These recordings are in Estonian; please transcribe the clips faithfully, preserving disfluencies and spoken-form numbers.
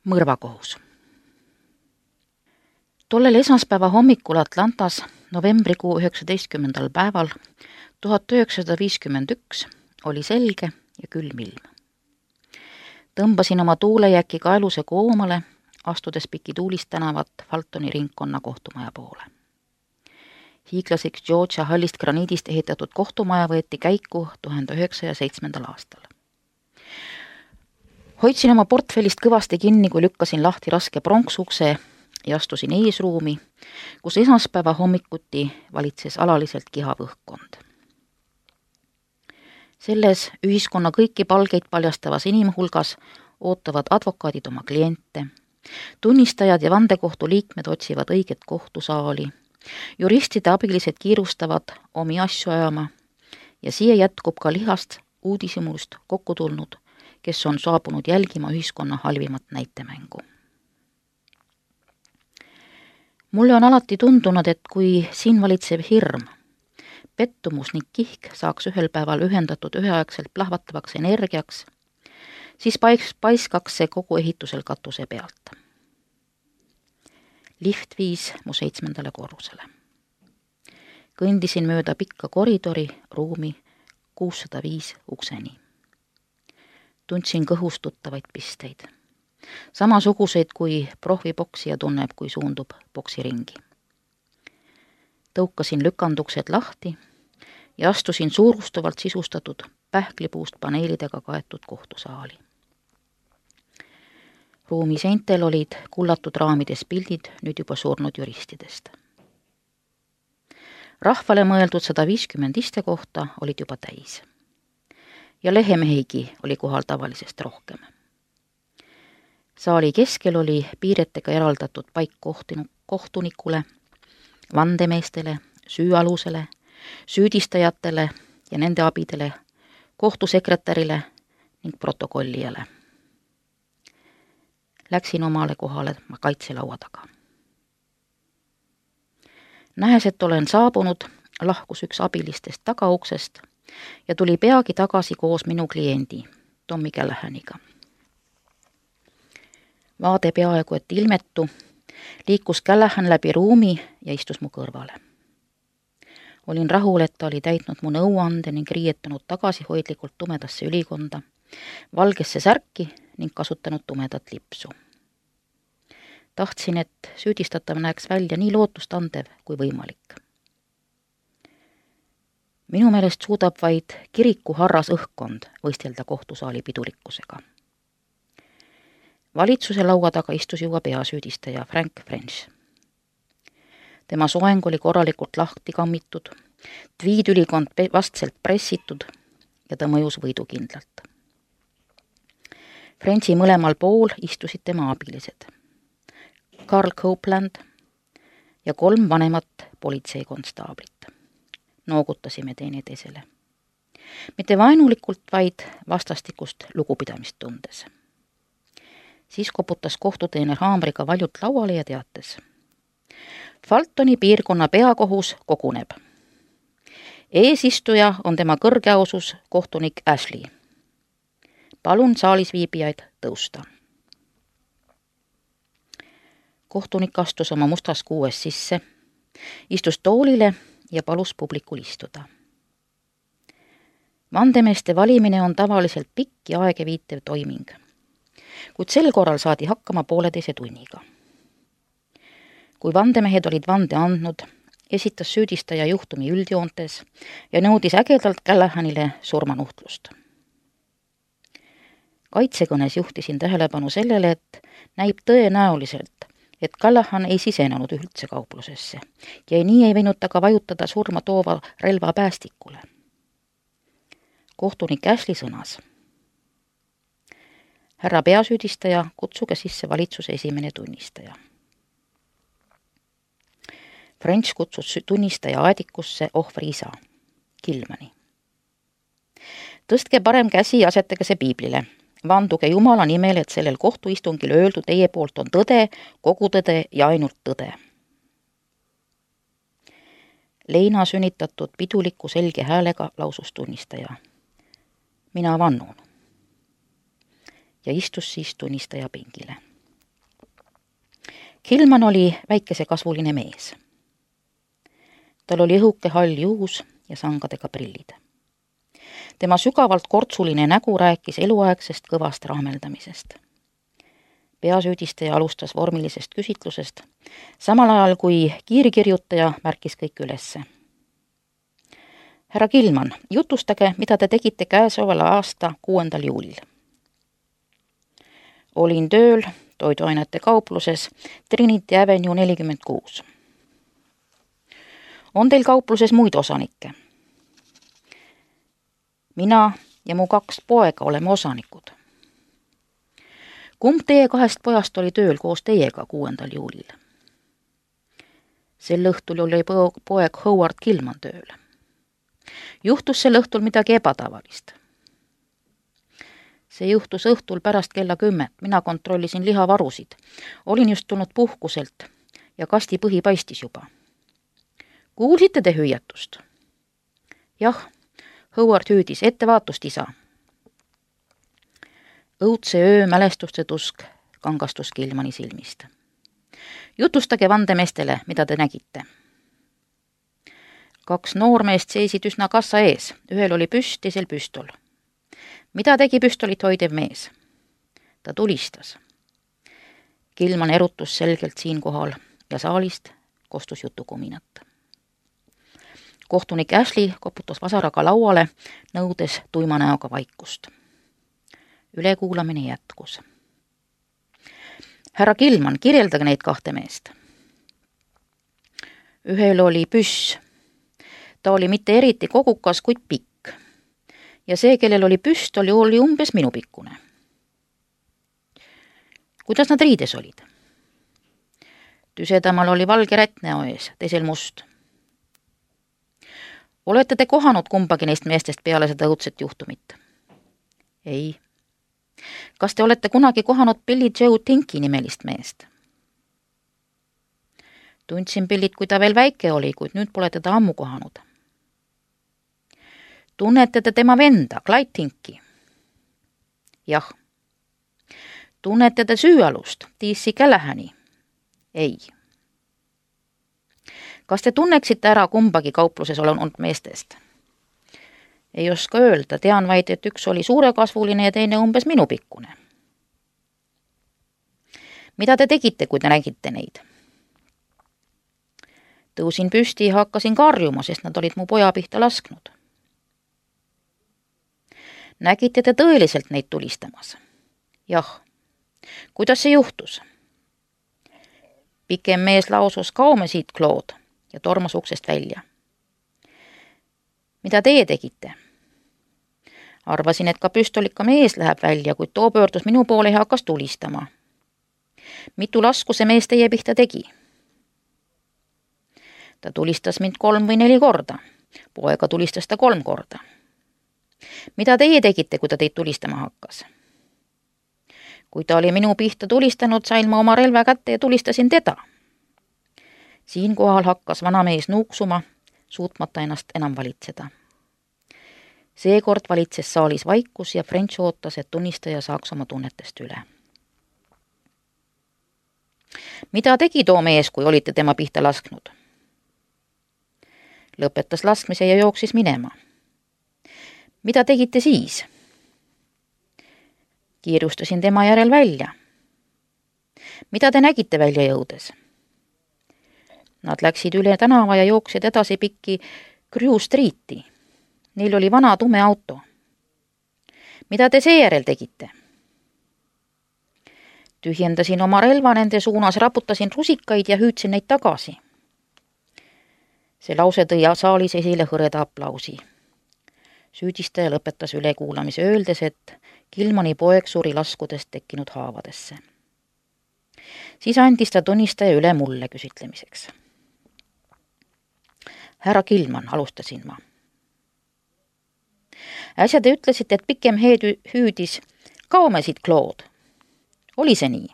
Mõrvakohus. Tollel esmaspäeva hommikul Atlantas novembrikuu üheksateistkümnendal päeval tuhat üheksasada viiskümmend üks oli selge ja külm ilm. Tõmbasin oma tuulejäki kaeluse koomale, astudes piki tuulist tänavat Faltoni ringkonna kohtumaja poole. Hiiglaseks Georgia hallist graniidist ehitatud kohtumaja võeti käiku tuhande üheksasaja seitsmendal aastal. Hoidsin oma portfellist kõvasti kinni, kui lükkasin lahti raske pronksukse ja astusin eesruumi, kus esmaspäeva hommikuti valitses alaliselt kihav õhkkond. Selles ühiskonna kõiki palgeid paljastavas inimhulgas ootavad advokaadid oma kliente, tunnistajad ja vandekohtu liikmed otsivad õiget kohtusaali, juristide abilised kiirustavad omi asju ajama ja siia jätkub ka lihast uudishimust kokku tulnud, kes on saabunud jälgima ühiskonna halvimat näitemängu. Mulle on alati tundunud, et kui siin valitsev hirm, pettumus ning kihk saaks ühel päeval ühendatud üheaegselt plahvatavaks energiaks, siis pais, paiskaks see kogu ehitusel katuse pealt. Lift viis mu seitsmendale korrusele. Kõndisin mööda pikka koridori ruumi kuussada viis ukseni. Tundsin kõhus tuttavaid pisteid. Samasuguseid, kui prohvipoksija tunneb, kui suundub poksiringi. Tõukasin lükanduksed lahti ja astusin suurustuvalt sisustatud pähklipuust paneelidega kaetud kohtusaali. Ruumi seintel olid kullatud raamides pildid nüüd juba surnud juristidest. Rahvale mõeldud sada viiskümmend istekohta olid juba täis. Ja lehemehigi oli kohal tavalisest rohkem. Saali keskel oli piiretega eraldatud paik kohtunikule, vandemeestele, süüalusele, süüdistajatele ja nende abidele, kohtusekretärile ning protokollijale. Läksin omale kohale kaitselaua taga. Nähes, et olen saabunud, lahkus üks abilistest tagauksest ja tuli peagi tagasi koos minu kliendi, Tommy Callahaniga. Vaade peaaegu et ilmetu, liikus Callahan läbi ruumi ja istus mu kõrvale. Olin rahul, et ta oli täitnud mu nõuande ning riietunud tagasihoidlikult tumedasse ülikonda, valgesse särki ning kasutanud tumedat lipsu. Tahtsin, et süüdistatav näeks välja nii lootustandev kui võimalik. Minu meelest suudab vaid kiriku harras õhkkond võistelda kohtusaali pidulikkusega. Valitsuse laua taga istus juba peasüüdistaja Frank French. Tema soeng oli korralikult lahti kammitud, tviidülikond vastselt pressitud ja ta mõjus võidukindlalt. Frenchi mõlemal pool istusid tema abilised, Carl Copeland ja kolm vanemat politseikonstaablit. Noogutasime teineteisele. Mitte vaenulikult, vaid vastastikust lugupidamist tundes. Siis koputas kohtuteener haamriga valjult lauale ja teates. Faltoni piirkonna peakohus koguneb. Eesistuja on tema kõrgeausus kohtunik Ashley. Palun saalis viibijaid tõusta. Kohtunik astus oma mustas kuues sisse, istus toolile ja palus publikul istuda. Vandemeeste valimine on tavaliselt pikk ja aegeviitev toiming, kuid sel korral saadi hakkama pooleteise tunniga. Kui vandemehed olid vande andnud, esitas süüdistaja juhtumi üldjoontes ja nõudis ägedalt Callahanile surmanuhtlust. Kaitsekõnes juhtisin tähelepanu sellele, et näib tõenäoliselt, et Callahan ei sisenenud üldse kauplusesse ja nii ei võinud ta ka vajutada surma toova relva päästikule. Kohtunik Ashley sõnas. Härra peasüüdistaja, kutsuge sisse valitsuse esimene tunnistaja. French kutsus tunnistaja aedikusse ohvri isa, Gilmani. Tõstke parem käsi ja asetage see piiblile. Vanduge Jumala nimel, et sellel kohtuistungil öeldu teie poolt on tõde, kogu tõde ja ainult tõde. Leina sünnitatud piduliku selge häälega lausus tunnistaja. Mina vannun. Ja istus siis tunnistaja pingile. Gilman oli väikesekasvuline mees. Tal oli õhuke hall juus ja sangadega prillid. Tema sügavalt kortsuline nägu rääkis eluaegsest kõvast rahmeldamisest. Peasüüdistaja alustas vormilisest küsitlusest, samal ajal kui kiirkirjutaja märkis kõik ülesse. Härra Gilman, jutustage, mida te tegite käesoleval aasta kuuendal juulil. Olin tööl toiduainete kaupluses Trinity Avenue nelikümmend kuus. On teil kaupluses muid osanikke? Mina ja mu kaks poega oleme osanikud. Kumb teie kahest pojast oli tööl koos teiega kuuendal juulil? Sel õhtul oli poeg Howard Gilman tööl. Juhtus sel õhtul midagi ebatavalist. See juhtus õhtul pärast kella kümmet. Mina kontrollisin lihavarusid. Olin just tulnud puhkuselt ja kasti põhi paistis juba. Kuulsite te hüüatust? Jah, Howard hüüdis, ettevaatust, isa. Õudse öö mälestuste tusk kangastus Gilmani silmist. Jutustage vandemeestele, mida te nägite. Kaks noormeest seisid üsna kassa ees. Ühel oli püst, teisel püstol. Mida tegi püstolit hoidev mees? Ta tulistas. Gilman erutus selgelt siinkohal ja saalist kostus jutukuminat. Kohtunik Ashley koputas vasaraga lauale, nõudes tuima näoga vaikust. Ülekuulamine jätkus. Härra Gilman, kirjeldage neid kahte meest. Ühel oli püss. Ta oli mitte eriti kogukas, kuid pikk. Ja see, kellel oli püstol, oli umbes minupikkune. Kuidas nad riides olid? Tüsedamal oli valge rätt näo ees, teisel must. Olete te kohanud kumbagi neist meestest peale seda õudset juhtumit? Ei. Kas te olete kunagi kohanud Billy Joe Tinki nimelist meest? Tundsin Billit, kui ta veel väike oli, kuid nüüd pole teda ammu kohanud. Tunnete te tema venda, Clyde Tinki? Jah. Tunnete te süüalust, T C Callahani? Ei. Kas te tunneksite ära kumbagi kaupluses olnud meestest? Ei oska öelda, tean vaid, et üks oli suurekasvuline ja teine umbes minupikkune. Mida te tegite, kui te nägite neid? Tõusin püsti ja hakkasin karjuma, sest nad olid mu poja pihta lasknud. Nägite te tõeliselt neid tulistamas? Jah. Kuidas see juhtus? Pikem mees lausus kaume siit, Claude, ja tormas uksest välja. Mida teie tegite? Arvasin, et ka püstolika mees läheb välja, kuid too pöördus minu poole ja hakkas tulistama. Mitu lasku see mees teie pihta tegi? Ta tulistas mind kolm või neli korda. Poega tulistas ta kolm korda. Mida teie tegite, kui ta teid tulistama hakkas? Kui ta oli minu pihta tulistanud, sain ma oma relva kätte ja tulistasin teda. Siinkohal hakkas vanamees nuuksuma, suutmata ennast enam valitseda. Seekord valitses saalis vaikus ja French ootas, et tunnistaja saaks oma tunnetest üle. Mida tegi too mees, kui olite tema pihta lasknud? Lõpetas laskmise ja jooksis minema. Mida tegite siis? Kiirustasin tema järel välja. Mida te nägite välja jõudes? Nad läksid üle tänava ja jooksid edasi pikki Crew Streeti. Neil oli vana tume auto. Mida te seejärel tegite? Tühjendasin oma relva nende suunas, raputasin rusikaid ja hüüdsin neid tagasi. See lause tõi saalis esile hõreda aplausi. Süüdistaja lõpetas ülekuulamise öeldes, et Gilmani poeg suri laskudest tekkinud haavadesse. Siis andis ta tunnistaja üle mulle küsitlemiseks. Härra Gilman, alustasin ma. Äsja te ütlesite, et pikem heed hüüdis, kaume siit, Claude. Oli see nii?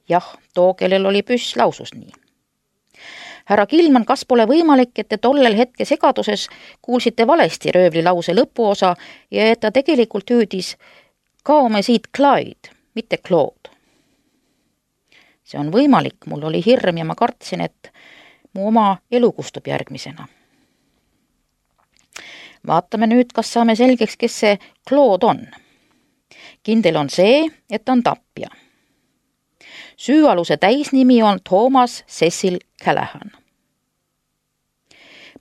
Jah, too, kellel oli püss, lausus nii. Härra Gilman, kas pole võimalik, et te tollel hetke segaduses kuulsite valesti röövli lause lõpuosa ja et ta tegelikult hüüdis kaume siit, Clyde, mitte Claude? See on võimalik, mul oli hirm ja ma kartsin, et mu oma elu kustub järgmisena. Vaatame nüüd, kas saame selgeks, kes see Claude on. Kindel on see, et ta on tapja. Süüaluse täisnimi on Thomas Cecil Callahan.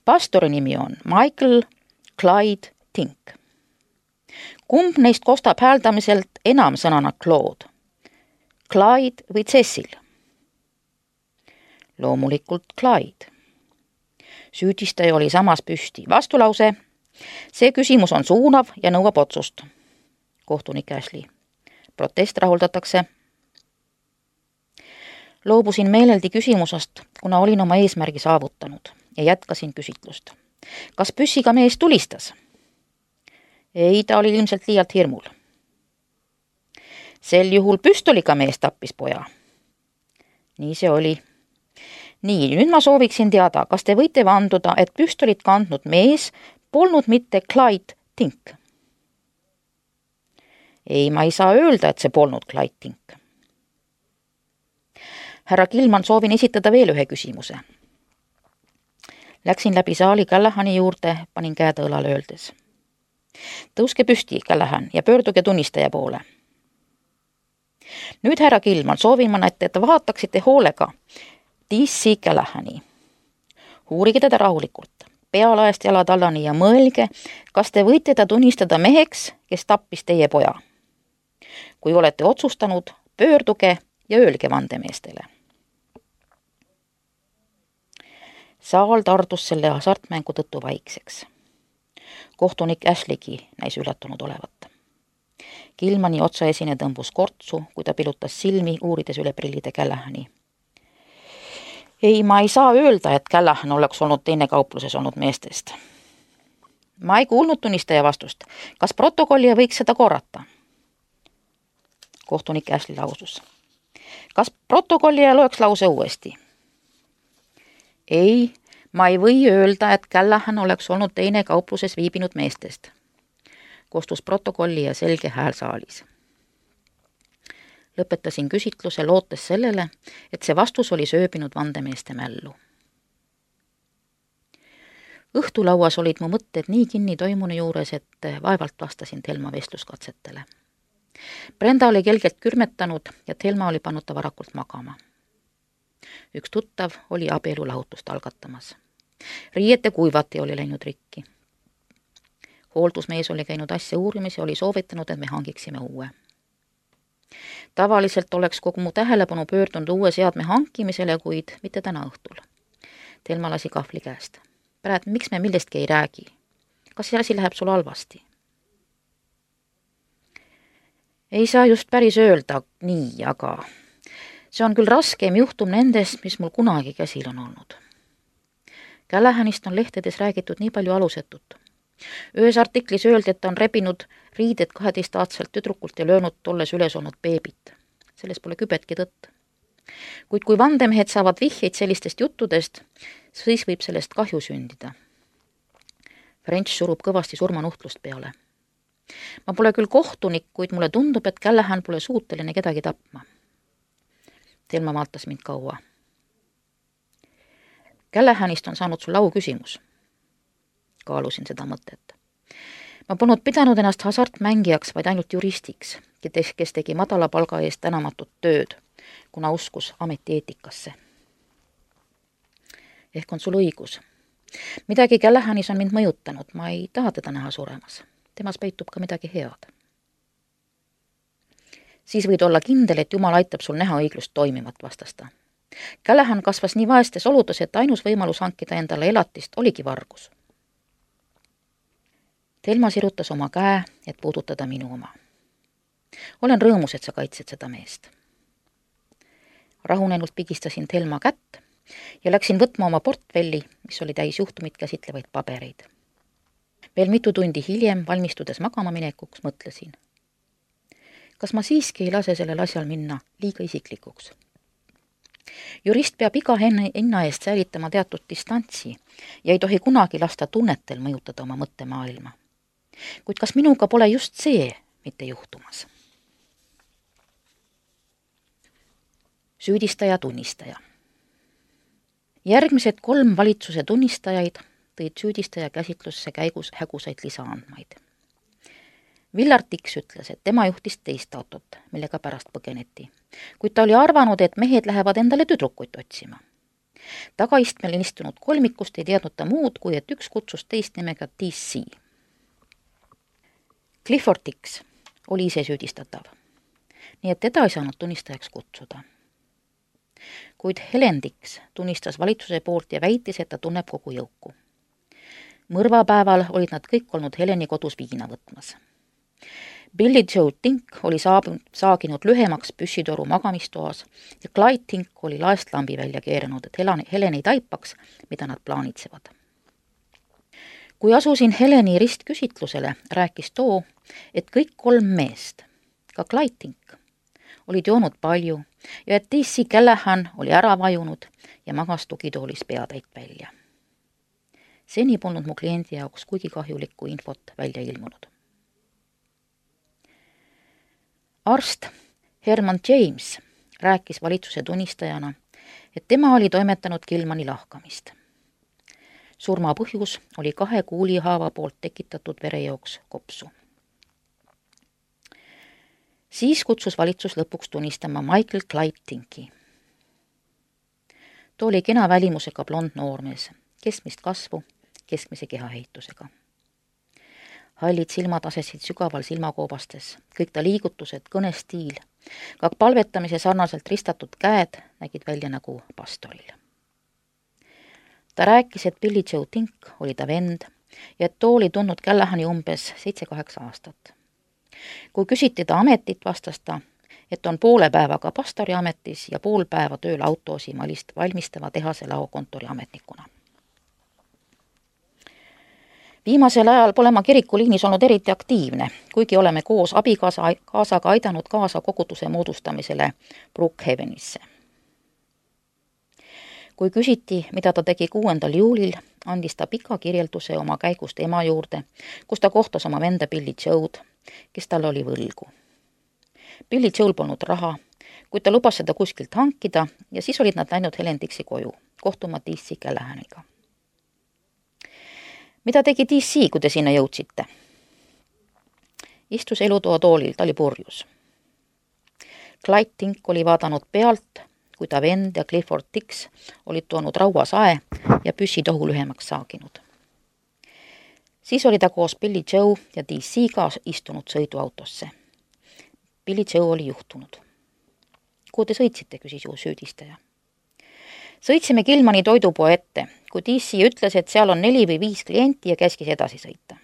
Pastori nimi on Michael Clyde Tink. Kumb neist kostab hääldamiselt enam sõnana Claude? Clyde või Cecil? Loomulikult Clyde. Süüdistaja oli samas püsti. Vastulause. See küsimus on suunav ja nõuab otsust. Kohtunik Ashley. Protest rahuldatakse. Loobusin meeleldi küsimusest, kuna olin oma eesmärgi saavutanud ja jätkasin küsitlust. Kas püssiga mees tulistas? Ei, ta oli ilmselt liialt hirmul. Sel juhul püstoliga mees tappis poja. Nii see oli. Nii, nüüd ma sooviksin teada, kas te võite vanduda, et püstolit kandnud mees polnud mitte Clyde Tink? Ei, ma ei saa öelda, et see polnud Clyde Tink. Härra Gilman, soovin esitada veel ühe küsimuse. Läksin läbi saali Callahani juurde, panin käed õlale öeldes. Tõuske püsti, Callahan, ja pöörduge tunnistaja poole. Nüüd, härra Gilman, soovin ma, et te vaataksite hoolega D C Callahani. Uurige teda rahulikult, pealaest jalad allani ja mõelge, kas te võite ta tunnistada meheks, kes tappis teie poja. Kui olete otsustanud, pöörduge ja öelge vandemeestele. Saal tardus selle hasartmängu tõttu vaikseks. Kohtunik Ashleygi näis üllatunud olevat. Gilmani otsaesine tõmbus kortsu, kui ta pilutas silmi, uurides üle prillide Callahani. Ei, ma ei saa öelda, et Callahan oleks olnud teine kaupluses olnud meestest. Ma ei kuulnud tunnistaja vastust. Kas protokollija võiks seda korrata? Kohtunik Ashley lausus. Kas protokollija loeks lause uuesti? Ei, ma ei või öelda, et Callahan oleks olnud teine kaupluses viibinud meestest. Kostus protokolli ja selge hääl saalis. Lõpetasin küsitluse lootes sellele, et see vastus oli sööbinud vandemeeste mällu. Õhtulauas olid mu mõtted nii kinni toimunu juures, et vaevalt vastasin Thelma vestluskatsetele. Brenda oli kelgelt kürmetanud ja Thelma oli pannud ta varakult magama. Üks tuttav oli abielu lahutust algatamas. Riiete kuivati oli läinud rikki. Hooldusmees oli käinud asja uurimis ja oli soovitanud, et me hangiksime uue. Tavaliselt oleks kogu mu tähelepanu pöördunud uue seadme hankimisele, kuid mitte täna õhtul. Thelma lasi kahvli käest. Pärat, miks me millestki ei räägi? Kas see asi läheb sul halvasti? Ei saa just päris öelda nii, aga see on küll raskeim juhtum nendest, mis mul kunagi käsil on olnud. Callahanist on lehtedes räägitud nii palju alusetut. Ühes artiklis öeldi, et ta on rebinud riided kaheteistaastselt tüdrukult ja löönud tolles üles olnud beebit. Selles pole kübetki tõtt. Kuid kui vandemehed saavad vihjeid sellistest juttudest, siis võib sellest kahju sündida. French surub kõvasti surmanuhtlust peale. Ma pole küll kohtunik, kuid mulle tundub, et Callahan pole suuteline kedagi tapma. Thelma vaatas mind kaua. Callahanist on saanud sul au küsimus. Kaalusin seda mõtet. Ma polnud pidanud ennast hasartmängijaks, vaid ainult juristiks, kes tegi madala palga eest tänamatut tööd, kuna uskus ametieetikasse. Ehk on sul õigus. Midagi Callahanis on mind mõjutanud, ma ei taha teda näha suremas. Temas peitub ka midagi head. Siis võid olla kindel, et Jumal aitab sul näha õiglust toimivat, vastasta. Callahan kasvas nii vaestes oludes, et ainus võimalus hankida endale elatist oligi vargus. Thelma sirutas oma käe, et puudutada minu oma. Olen rõõmus, et sa kaitsed seda meest. Rahunenult pigistasin Thelma kätt ja läksin võtma oma portfelli, mis oli täis juhtumit käsitlevaid pabereid. Veel mitu tundi hiljem, valmistudes magama minekuks, mõtlesin. Kas ma siiski ei lase sellel asjal minna liiga isiklikuks? Jurist peab iga hinna eest säilitama teatud distantsi ja ei tohi kunagi lasta tunnetel mõjutada oma mõttemaailma. Kuid kas minuga pole just see mitte juhtumas? süüdistaja tunnistaja. Järgmised kolm valitsuse tunnistajaid tõid süüdistaja käsitlusse käigus hägusaid lisaandmaid. Villar Tiks ütles, et tema juhtis teist autot, millega pärast põgeneti, kuid ta oli arvanud, et mehed lähevad endale tüdrukuid otsima. Tagaistmel istunud kolmikust ei teadnud ta muud, kui et üks kutsus teist nimega D C. Clifford Tiks oli ise süüdistatav, nii et teda ei saanud tunnistajaks kutsuda. Kuid Helen Tiks tunnistas valitsuse poolt ja väitis, et ta tunneb kogu jõuku. Mõrvapäeval olid nad kõik olnud Heleni kodus viina võtmas. Billy Joe Tink oli saab- saaginud lühemaks püssitoru magamistoas ja Clyde Tink oli laest lambi välja keeranud, et Helen, Helen ei taipaks, mida nad plaanitsevad. Kui asusin Heleni ristküsitlusele, rääkis too, et kõik kolm meest, ka Clyde Tink, olid joonud palju ja et D C Callahan oli ära vajunud ja magas tugitoolis peatäit välja. Seni polnud mu kliendi jaoks kuigi kahjulikku infot välja ilmunud. Arst Herman James rääkis valitsuse tunnistajana, et tema oli toimetanud Gilmani lahkamist. Surma põhjus oli kahe kuulihaava poolt tekitatud verejooks kopsu. Siis kutsus valitsus lõpuks tunnistama Michael Clyde Tinki. Ta oli kena välimusega blond noormees, keskmist kasvu, keskmise kehahehitusega. Hallid silmad asesid sügaval silmakoobastes, kõik ta liigutused, kõnestiil, ka palvetamise sarnaselt ristatud käed nägid välja nagu pastoril. Ta rääkis, et Billy Joe Tink oli ta vend ja et too oli tundnud Callahani umbes seitse-kaheksa aastat. Kui küsiti ta ametit, vastas ta, et on poole päevaga pastori ametis ja pool päeva tööl autoosi valmistava tehase laokontori ametnikuna. Viimasel ajal pole ma kirikuliinis olnud eriti aktiivne, kuigi oleme koos abikaasaga aidanud kaasa koguduse moodustamisele Brookhavenisse. Kui küsiti, mida ta tegi kuuendal juulil, andis ta pika kirjelduse oma käigust ema juurde, kus ta kohtas oma venda Billy Joe'd, kes tal oli võlgu. Billy Joe'l polnud raha, kuid ta lubas seda kuskilt hankida ja siis olid nad läinud Helen Tiksi koju, kohtuma D C Callahaniga. Mida tegi D C, kui te sinna jõudsite? Istus elutoa toolil, ta oli purjus. Clyde Tink oli vaadanud pealt, kui ta vend ja Clifford Tiks olid toonud rauasae ja püssitohu lühemaks saaginud. Siis oli ta koos Billy Joe ja D C-ga istunud sõiduautosse. Billy Joe oli juhtunud. Kuhu te sõitsite, küsis ju süüdistaja. Sõitsime Gilmani toidupoe ette, kui D C ütles, et seal on neli või viis klienti ja käskis edasi sõita.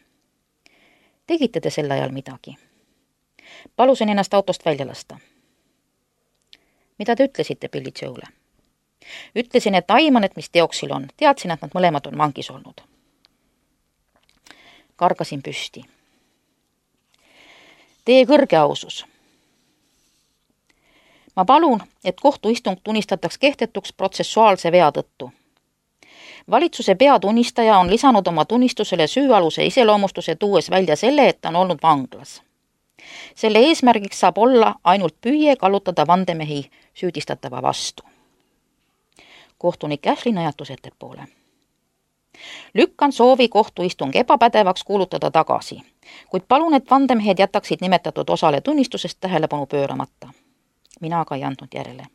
Tegite te sel ajal midagi? Palusin ennast autost välja lasta. Mida te ütlesite Billy Joe'le? Ütlesin, et aiman, et mis teoksil on. Teadsin, et nad mõlemad on vangis olnud. Kargasin püsti. Teie kõrge ausus. Ma palun, et kohtuistung tunnistataks kehtetuks protsessuaalse vea tõttu. Valitsuse peatunnistaja on lisanud oma tunnistusele süüaluse iseloomustuse tuues välja selle, et ta on olnud vanglas. Selle eesmärgiks saab olla ainult püüe kallutada vandemehi süüdistatava vastu. Kohtunik Ashley najatus ettepoole. Lükkan soovi kohtuistung ebapädevaks kuulutada tagasi, kuid palun, et vandemehed jätaksid nimetatud osale tunnistusest tähelepanu pööramata. Mina aga ei andnud järele.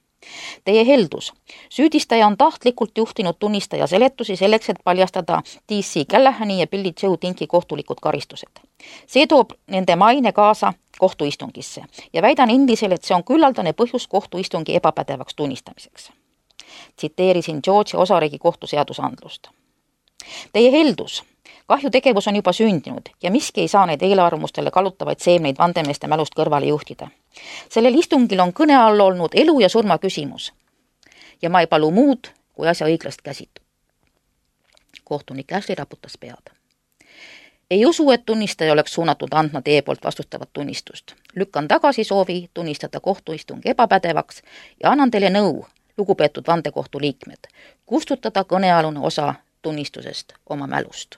Teie heldus. Süüdistaja on tahtlikult juhtinud tunnistaja seletusi selleks, et paljastada D C Callahani ja Billy Joe Tinki kohtulikud karistused. See toob nende maine kaasa kohtuistungisse ja väidan endisel, et see on küllaldane põhjus kohtuistungi ebapädevaks tunnistamiseks. Tsiteerisin Georgia osariigi kohtuseadusandlust. Teie heldus. Kahjutegevus on juba sündinud ja miski ei saa neid eelarvamustele kallutavaid seemneid vandemeeste mälust kõrvale juhtida. Sellel istungil on kõne all olnud elu ja surma küsimus ja ma ei palu muud kui asja õiglast käsitu. Kohtunik Ashley raputas pead. Ei usu, et tunnistaja oleks suunatud andma teie poolt vastustavat tunnistust. Lükkan tagasi soovi tunnistada kohtuistung ebapädevaks ja annan teile nõu, lugupeetud vandekohtu liikmed, kustutada kõnealune osa tunnistusest oma mälust.